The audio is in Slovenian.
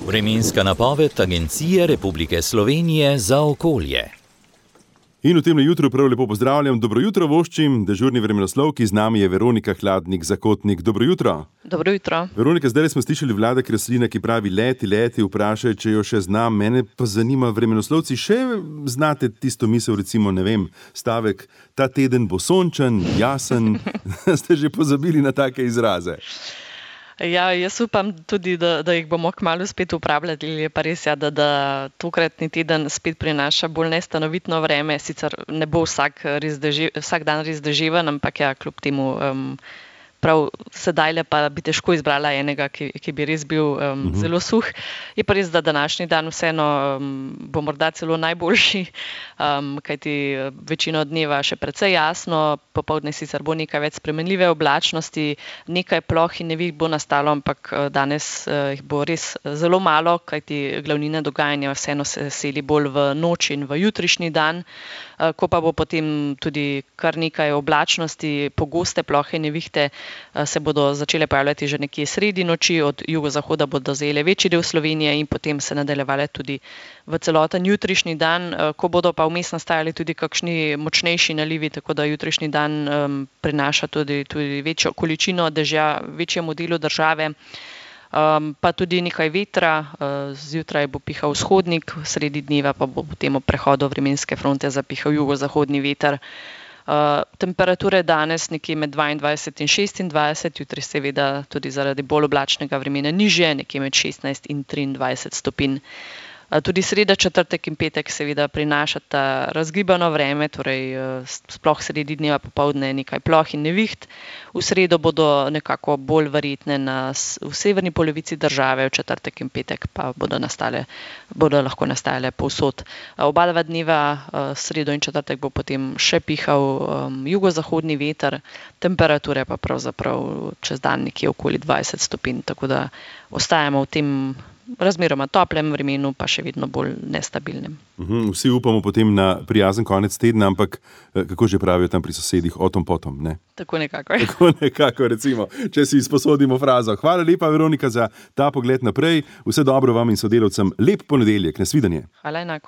Vremenska napoved Agencije Republike Slovenije za okolje. In v temle jutru prav lepo pozdravljam. Dobro jutro voščim, dežurni vremenoslovki, z nami je Veronika Hladnik-Zakotnik. Dobro jutro. Dobro jutro. Veronika, zdaj smo slišali Vlada Kreslina, ki pravi leti, vprašaj, če jo še znam. Mene pa zanima, vremenoslovci, še znate tisto misel, recimo, ne vem, stavek, ta teden bo sončen, jasen, ste že pozabili na take izraze? Ja, jaz upam tudi, da jih bomo kmalu spet uporabljali. Je pa res, da tokratni teden spet prinaša bolj nestanovitno vreme. Sicer ne bo vsak dan res deževen, ampak ja, kljub temu prav sedaj pa bi težko izbrala enega, ki bi res bil zelo suh. Je pa res, da današnji dan vseeno bo morda celo najboljši, kajti večino dneva še precej jasno, popoldne sicer bo nekaj več spremenljive oblačnosti, nekaj ploh in neviht bo nastalo, ampak danes jih bo res zelo malo, kajti glavnina dogajanja vseeno se seli bolj v noč in v jutrišnji dan, ko pa bo potem tudi kar nekaj oblačnosti, pogoste plohe nevihte se bodo začele pojavljati že nekje sredi noči, od jugozahoda bodo zajele večji del Slovenije in potem se nadaljevale tudi v celoten jutrišnji dan, ko bodo pa vmes nastajali tudi kakšni močnejši nalivi, tako da jutrišnji dan prinaša tudi večjo količino dežja večjemu delu države. Pa tudi nekaj vetra, zjutraj bo pihal vzhodnik, sredi dneva pa bo potem ob prehodu vremenske fronte zapihal jugozahodni veter. Temperature danes nekje med 22 in 26, jutri seveda tudi zaradi bolj oblačnega vremena nižje, nekje med 16 in 23 stopinj. Tudi sreda, četrtek in petek seveda prinašata razgibano vreme, torej sploh sredi dneva popoldne nekaj ploh in neviht. V sredo bodo nekako bolj verjetne v severni polovici države, v četrtek in petek pa bodo lahko nastajale povsod. Oba dva dneva, sredo in četrtek, bo potem še pihal jugozahodni veter, temperature pa pravzaprav čez dan nekje okoli 20 stopinj, tako da ostajamo v tem razmeroma toplem vremenu, pa še vedno bolj nestabilnem. Vsi upamo potem na prijazen konec tedna, ampak kako že pravijo tam pri sosedih, o tom potom, ne? Tako nekako. Tako nekako, recimo, če si izposodimo frazo. Hvala lepa, Veronika, za ta pogled naprej. Vse dobro vam in sodelavcem. Lep ponedeljek, nasvidenje. Hvala enako.